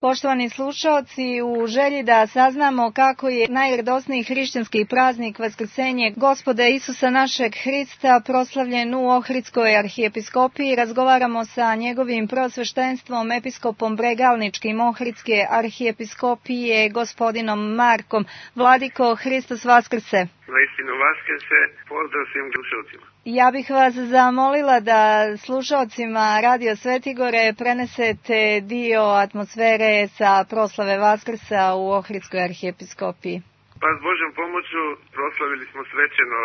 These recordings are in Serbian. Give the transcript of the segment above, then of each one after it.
Poštovani slušaoci, u želji da saznamo kako je najradosniji hrišćanski praznik Vaskrsenje Gospoda Isusa našeg Hrista proslavljen u Ohridskoj arhijepiskopiji, razgovaramo sa njegovim preosveštenstvom, episkopom Bregalničkim Ohridske arhijepiskopije, gospodinom Markom. Vladiko, Hristos Vaskrse! Vaistinu Vaskrse, pozdrav svim slušalcima. Ja bih vas zamolila da slušaocima Radio Svetigore prenesete dio atmosfere sa proslave Vaskrsa u Ohridskoj arhijepiskopiji. Pa s Božjom pomoću proslavili smo svečano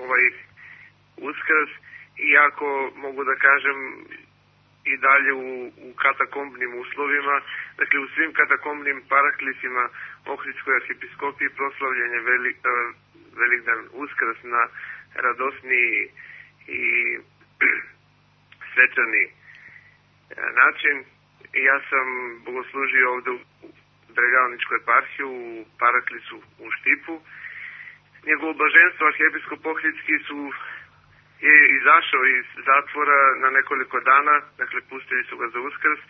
ovaj Uskrs, iako mogu da kažem i dalje u katakombnim uslovima, dakle u svim katakombnim paraklisima Ohridskoj arhijepiskopiji proslavljen je Velikdan Uskrs na radosniji i svečani način. Ja sam bogoslužio ovde u Bregalničkoj eparhiji u paraklisu u Štipu. Njegovo blaženstvo arhijepiskop Ohridski je izašao iz zatvora na nekoliko dana, dakle pustili su ga za Uskrs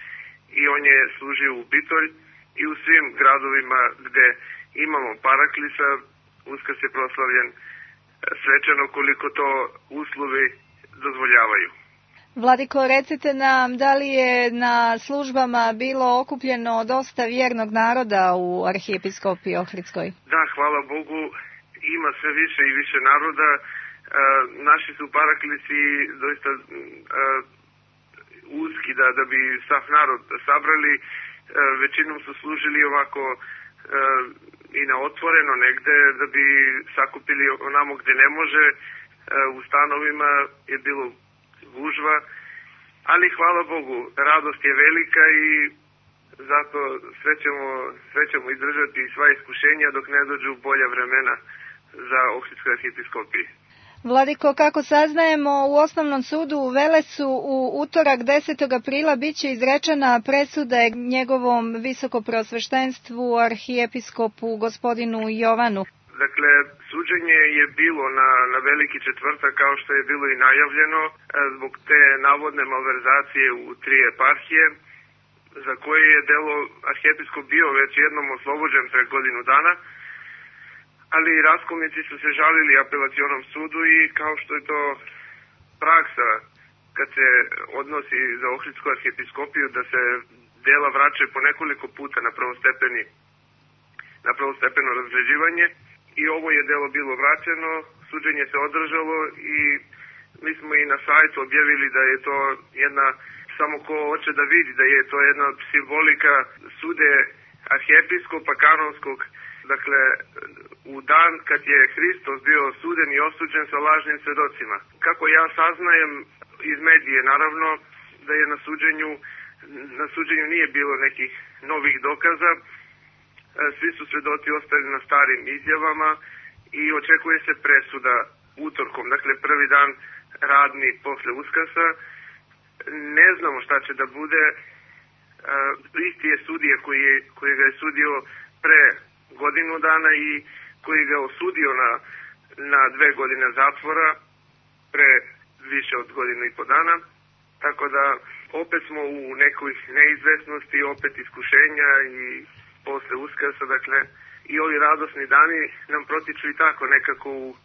i on je služio u Bitolj i u svim gradovima gde imamo paraklisa Uskrs je proslavljen svečano koliko to uslovi dozvoljavaju. Vladiko, recite nam, da li je na službama bilo okupljeno dosta vjernog naroda u arhijepiskopiji Ohridskoj? Da, hvala Bogu, ima sve više i više naroda. Naši su paraklisi doista uski da bi sav narod sabrali. Većinom su služili ovako i na otvoreno negde, da bi sakupili onamo gde ne može. U stanovima je bilo gužva, ali hvala Bogu, radost je velika i zato sve ćemo izdržati sva iskušenja dok ne dođu bolja vremena za Ohridskoj arhijepiskopiji. Vladiko, kako saznajemo, u Osnovnom sudu u Velesu u utorak 10. aprila biće izrečena presuda njegovom visokopreosveštenstvu arhijepiskopu gospodinu Jovanu. Dakle, suđenje je bilo na Veliki četvrtak, kao što je bilo i najavljeno, zbog te navodne malverzacije u 3 eparhije, za koje je delo arhijepiskop bio već jednom oslobođen pre godinu dana, ali raskolnici su se žalili apelacionom sudu i kao što je to praksa kad se odnosi za Ohridsku arhijepiskopiju, da se dela vraćaju po nekoliko puta na prvostepeno razređivanje, i ovo je delo bilo vraćeno, suđenje se održalo i mi smo i na sajtu objavili da je to jedna, samo ko hoće da vidi, da je to jedna simbolika sude arhijepiskopa kanonskog, dakle u dan kad je Hristos bio osuden i osuđen sa lažnim svedocima. Kako ja saznajem iz medije, naravno, da je na suđenju nije bilo nekih novih dokaza, svi su svedoci ostali na starim izjavama i očekuje se presuda utorkom, dakle prvi dan radni posle Uskrsa. Ne znamo šta će da bude, isti je sudija koji ga je sudio pre godinu dana i koji ga osudio na 2 godine zatvora pre više od godinu i po dana. Tako da opet smo u nekoj neizvesnosti, opet iskušenja i posle Uskrsa, dakle i ovi radosni dani nam protiču i tako nekako u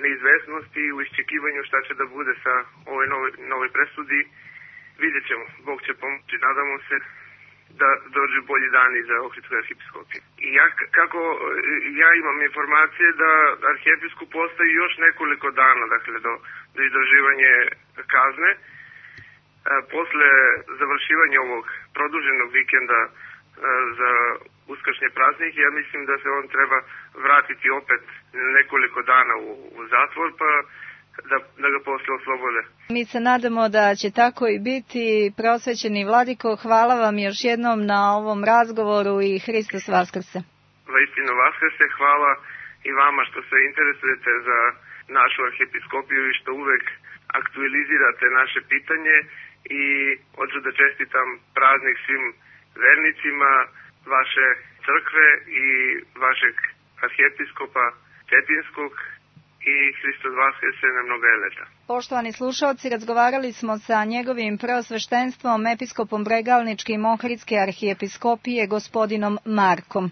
neizvesnosti i u iščekivanju šta će da bude sa ovoj nove presudi. Vidjet ćemo, Bog će pomoći, nadamo se da dođu bolji dani za Ohridsku arhijepiskopiju. I ja imam informacije da arhijepiskop ostaje još nekoliko dana, dakle do izdrživanja kazne. Posle završivanja ovog produženog vikenda za uskršnje praznike, ja mislim da se on treba vratiti opet nekoliko dana u zatvor, pa da ga posle oslobode. Mi se nadamo da će tako i biti. Preosvećeni Vladiko, hvala vam još jednom na ovom razgovoru i Hristos Vaskrse. Vaistinu Vaskrse, hvala i vama što se interesujete za našu arhijepiskopiju i što uvek aktualizirate naše pitanje, i hoću da čestitam praznik svim vernicima vaše crkve i vašeg arhijepiskopa Cetinskog i Hristos Vaskrse na mnoga leta. Poštovani slušalci, razgovarali smo sa njegovim preosveštenstvom, episkopom Bregalničkim Ohridske arhijepiskopije, gospodinom Markom.